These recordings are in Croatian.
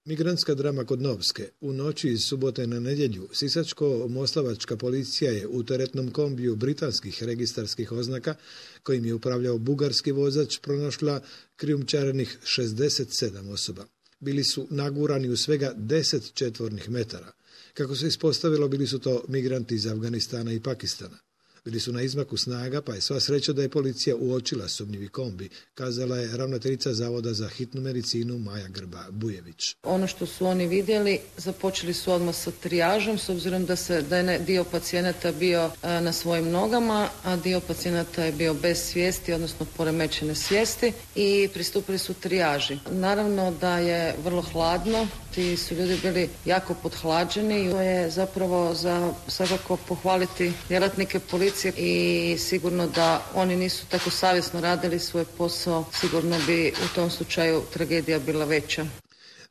Migrantska drama kod Novske. U noći iz subote na nedjelju Sisačko-moslavačka policija je u teretnom kombiju britanskih registarskih oznaka, kojim je upravljao bugarski vozač, pronašla krijumčarenih 67 osoba. Bili su nagurani u svega 10 četvornih metara. Kako se ispostavilo, bili su to migranti iz Afganistana i Pakistana. Bili su na izmaku snaga, pa je sva sreća da je policija uočila sumnjivi kombi, kazala je ravnateljica Zavoda za hitnu medicinu Maja Grba-Bujević. Ono što su oni vidjeli, započeli su odmah sa trijažom, s obzirom da je dio pacijenata bio na svojim nogama, a dio pacijenata je bio bez svijesti, odnosno poremećene svijesti, i pristupili su trijaži. Naravno da je vrlo hladno, ti su ljudi bili jako podhlađeni i to je zapravo za svakako pohvaliti djelatnike policije i sigurno da oni nisu tako savjesno radili svoj posao, sigurno bi u tom slučaju tragedija bila veća.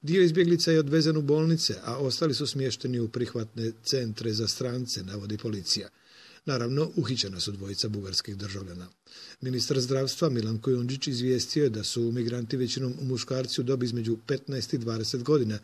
Dio izbjeglica je odvezen u bolnice, a ostali su smješteni u prihvatne centre za strance, navodi policija. Naravno, uhićena su dvojica bugarskih državljana. Ministar zdravstva Milan Kujundžić izvijestio je da su migranti većinom muškarci u dobi između 15 i 20 godina,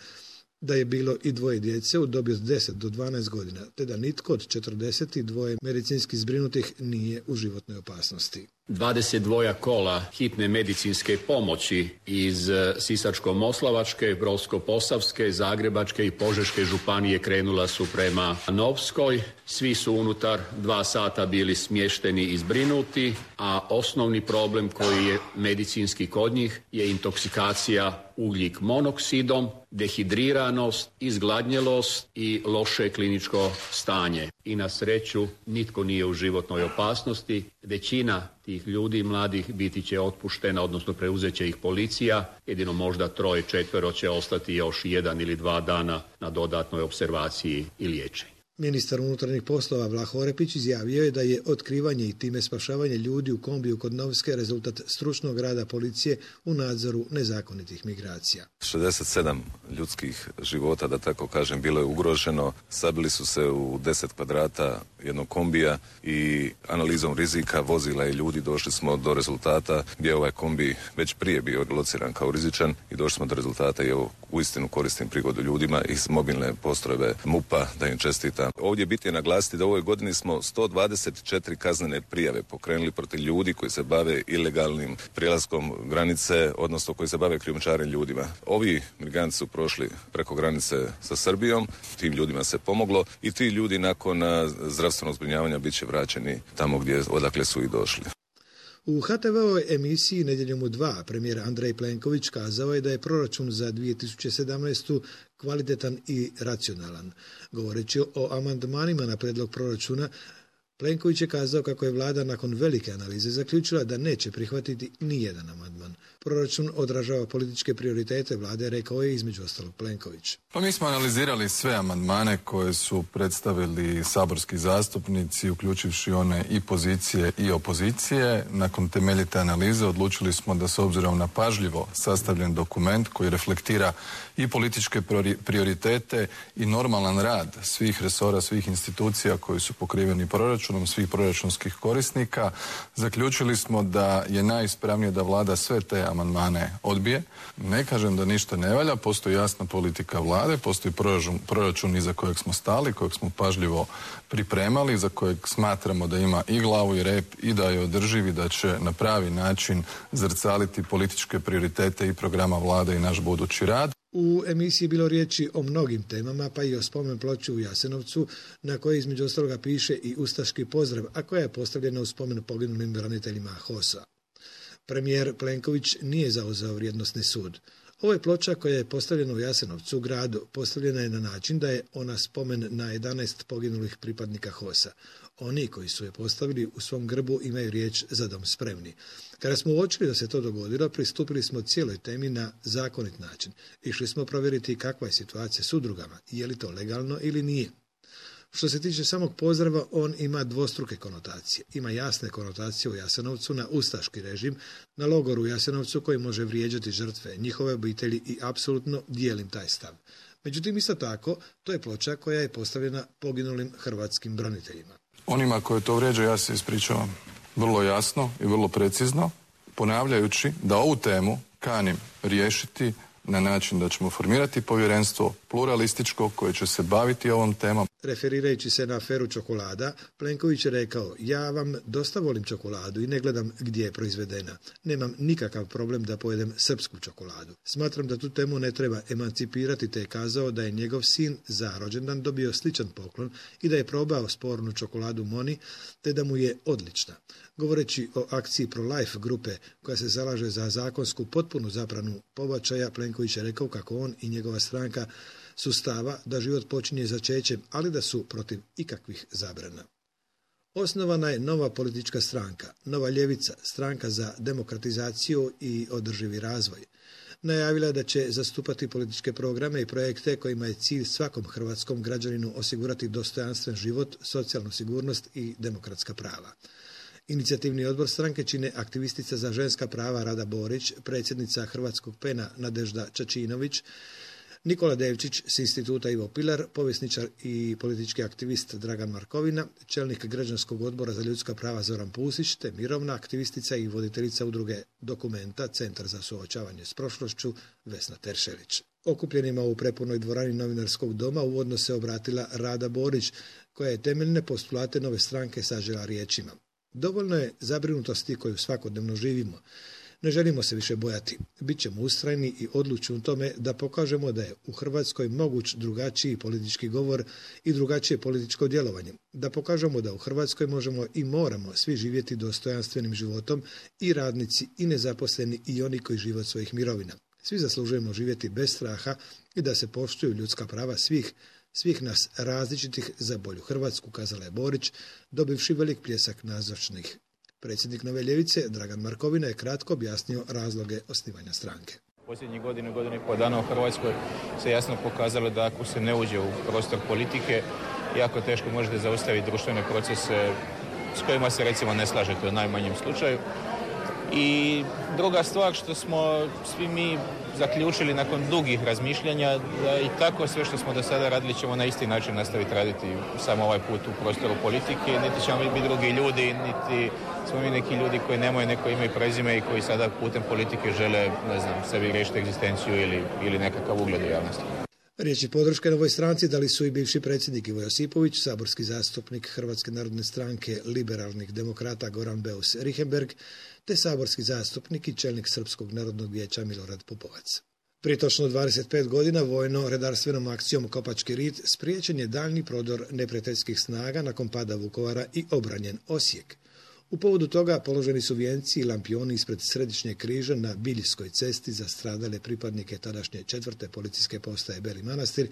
da je bilo i dvoje djece u dobi od 10 do 12 godina, te da nitko od 42 medicinski zbrinutih nije u životnoj opasnosti. 22 kola hitne medicinske pomoći iz Sisačko-moslavačke, Brodsko-posavske, Zagrebačke i Požeške županije krenula su prema Novskoj. Svi su unutar 2 sata bili smješteni i zbrinuti, a osnovni problem koji je medicinski kod njih je intoksikacija ugljik monoksidom, dehidriranost, izgladnjelost i loše kliničko stanje. I na sreću nitko nije u životnoj opasnosti. Većina tih ljudi mladih biti će otpuštena, odnosno preuzet će ih policija. Jedino možda 3-4 će ostati još 1 ili 2 dana na dodatnoj observaciji i liječenju. Ministar unutarnjih poslova Vlaho Orepić izjavio je da je otkrivanje i time spašavanje ljudi u kombiju kod Novske rezultat stručnog rada policije u nadzoru nezakonitih migracija. 67 ljudskih života, da tako kažem, bilo je ugroženo. Sabili su se u 10 kvadrata jednog kombija i analizom rizika vozila i ljudi došli smo do rezultata gdje je ovaj kombi već prije bio lociran kao rizičan i došli smo do rezultata i evo uistinu koristim prigodu ljudima iz mobilne postrojbe MUP-a da im čestitam. Ovdje bitno je naglasiti da u ovoj godini smo 124 kaznene prijave pokrenuli protiv ljudi koji se bave ilegalnim prijelaskom granice, odnosno koji se bave krijumčarenjem ljudima. Ovi migranti su prošli preko granice sa Srbijom, tim ljudima se pomoglo i ti ljudi nakon zdravstvenog zbrinjavanja bit će vraćeni tamo odakle su i došli. U HTV-ovoj emisiji Nedjeljom u 2 premijer Andrej Plenković kazao je da je proračun za 2017. kvalitetan i racionalan. Govoreći o amandmanima na prijedlog proračuna, Plenković je kazao kako je vlada nakon velike analize zaključila da neće prihvatiti nijedan amandman. Proračun odražava političke prioritete vlade, rekao je između ostalog Plenković. Pa mi smo analizirali sve amandmane koje su predstavili saborski zastupnici, uključivši one i pozicije i opozicije. Nakon temeljite analize odlučili smo da s obzirom na pažljivo sastavljen dokument koji reflektira i političke prioritete i normalan rad svih resora, svih institucija koji su pokriveni proračunom, svih proračunskih korisnika, zaključili smo da je najispravnije da vlada sve te amandmane odbije. Ne kažem da ništa ne valja, postoji jasna politika vlade, postoji proračun iza kojeg smo stali, kojeg smo pažljivo pripremali, za kojeg smatramo da ima i glavu i rep i da je održiv i da će na pravi način zrcaliti političke prioritete i programa vlade i naš budući rad. U emisiji je bilo riječi o mnogim temama, pa i o spomen ploči u Jasenovcu, na kojoj između ostaloga piše i ustaški pozdrav, a koja je postavljena u spomen poginulim braniteljima HOS-a. Premijer Plenković nije zauzeo vrijednosni sud. Ovo je ploča koja je postavljena u Jasenovcu, gradu. Postavljena je na način da je ona spomen na 11 poginulih pripadnika HOS-a. Oni koji su je postavili u svom grbu imaju riječ za dom spremni. Kada smo uočili da se to dogodilo, pristupili smo cijeloj temi na zakonit način. Išli smo provjeriti kakva je situacija s udrugama, je li to legalno ili nije. Što se tiče samog pozdrava, on ima dvostruke konotacije. Ima jasne konotacije u Jasenovcu na ustaški režim, na logoru u Jasenovcu koji može vrijeđati žrtve, njihove obitelji i apsolutno dijelim taj stav. Međutim, isto tako, to je ploča koja je postavljena poginulim hrvatskim braniteljima. Onima koje to vrijeđa ja se ispričavam vrlo jasno i vrlo precizno, ponavljajući da ovu temu kanim riješiti na način da ćemo formirati povjerenstvo pluralističko koje će se baviti ovom temom. Referirajući se na aferu čokolada, Plenković je rekao: ja vam dosta volim čokoladu i ne gledam gdje je proizvedena. Nemam nikakav problem da pojedem srpsku čokoladu. Smatram da tu temu ne treba emancipirati, te je kazao da je njegov sin za rođendan dobio sličan poklon i da je probao spornu čokoladu Moni, te da mu je odlična. Govoreći o akciji Pro-Life grupe koja se zalaže za zakonsku potpunu zabranu pobačaja, Plenković je rekao kako on i njegova stranka su stava da život počinje začećem, ali da su protiv ikakvih zabrana. Osnovana je nova politička stranka, Nova ljevica, stranka za demokratizaciju i održivi razvoj. Najavila je da će zastupati političke programe i projekte kojima je cilj svakom hrvatskom građaninu osigurati dostojanstven život, socijalnu sigurnost i demokratska prava. Inicijativni odbor stranke čine aktivistica za ženska prava Rada Borić, predsjednica Hrvatskog PEN-a Nadežda Čačinović, Nikola Devčić s instituta Ivo Pilar, povjesničar i politički aktivist Dragan Markovina, čelnik građanskog odbora za ljudska prava Zoran Pusić, te mirovna aktivistica i voditeljica udruge Dokumenta, Centar za suočavanje s prošlošću, Vesna Teršelić. Okupljenima u prepunoj dvorani Novinarskog doma uvodno se obratila Rada Borić, koja je temeljne postulate nove stranke sažela riječima: dovoljno je zabrinutosti koju svakodnevno živimo. Ne želimo se više bojati. Bićemo ustrajni i odlučni u tome da pokažemo da je u Hrvatskoj moguć drugačiji politički govor i drugačije političko djelovanje. Da pokažemo da u Hrvatskoj možemo i moramo svi živjeti dostojanstvenim životom, i radnici i nezaposleni i oni koji žive od svojih mirovina. Svi zaslužujemo živjeti bez straha i da se poštuju ljudska prava svih nas različitih za bolju Hrvatsku, kazala je Borić, dobivši velik pljesak nazočnih. Predsjednik Nove ljevice Dragan Markovina je kratko objasnio razloge osnivanja stranke. Posljednjih godinu i pol dana u Hrvatskoj se jasno pokazalo da ako se ne uđe u prostor politike, jako teško možete zaustaviti društvene procese s kojima se recimo ne slažete u najmanjem slučaju. I druga stvar što smo svi mi zaključili nakon dugih razmišljanja da i tako sve što smo do sada radili ćemo na isti način nastaviti raditi samo ovaj put u prostoru politike. Niti ćemo biti drugi ljudi, niti smo mi neki ljudi koji nemaju neko ime i prezime i koji sada putem politike žele, sebi riješiti egzistenciju ili nekakav ugled u javnosti. Riječi podrške novoj stranci dali su i bivši predsjednik Ivo Josipović, saborski zastupnik Hrvatske narodne stranke liberalnih demokrata Goran Beus Richembergh, te saborski zastupnik i čelnik Srpskog narodnog vijeća Milorad Pupovac. Prije točno 25 godina vojno-redarstvenom akcijom Kopački rit spriječen je daljnji prodor neprijateljskih snaga nakon pada Vukovara i obranjen Osijek. U povodu toga položeni su vijenci i lampioni ispred Središnjeg križa na Biljskoj cesti za stradale pripadnike tadašnje 4. policijske postaje Beli Manastir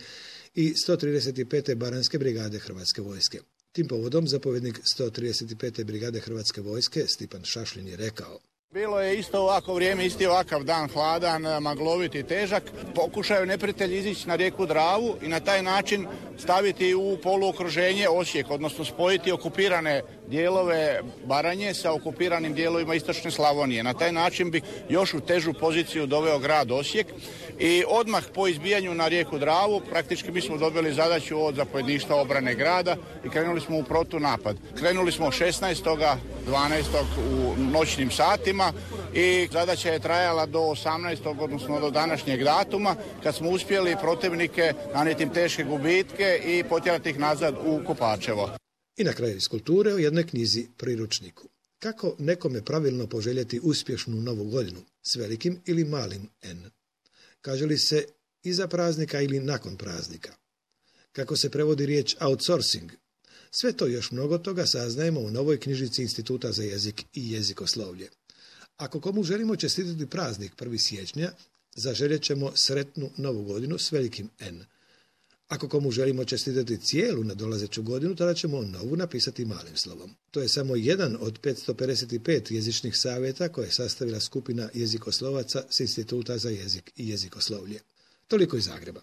i 135. Baranjske brigade Hrvatske vojske. Tim povodom zapovjednik 135. brigade Hrvatske vojske Stipan Šašlin je rekao: bilo je isto ovako vrijeme, isti ovakav dan, hladan, maglovit i težak. Pokušaju neprijatelji izići na rijeku Dravu i na taj način staviti u poluokruženje Osijek, odnosno spojiti okupirane dijelove Baranje sa okupiranim dijelovima istočne Slavonije. Na taj način bi još u težu poziciju doveo grad Osijek i odmah po izbijanju na rijeku Dravu praktički mi smo dobili zadaću od zapovjedništva obrane grada i krenuli smo u protunapad. Krenuli smo 16.12. u noćnim satima i zadaća je trajala do 18. odnosno do današnjeg datuma kad smo uspjeli protivnike nanijeti im teške gubitke i potjerati ih nazad u Kopačevo. I na kraju iz kulture o jednoj knjizi priručniku. Kako nekome pravilno poželjeti uspješnu novu godinu, s velikim ili malim N? Kaže li se iza praznika ili nakon praznika? Kako se prevodi riječ outsourcing? Sve to još mnogo toga saznajemo u novoj knjižici Instituta za jezik i jezikoslovlje. Ako komu želimo čestitati praznik 1. siječnja, zaželjet ćemo sretnu novu godinu s velikim N. Ako komu želimo čestitati cijelu nadolazeću godinu, tada ćemo novu napisati malim slovom. To je samo jedan od 555 jezičnih savjeta koje je sastavila skupina jezikoslovaca s Instituta za jezik i jezikoslovlje. Toliko iz Zagreba.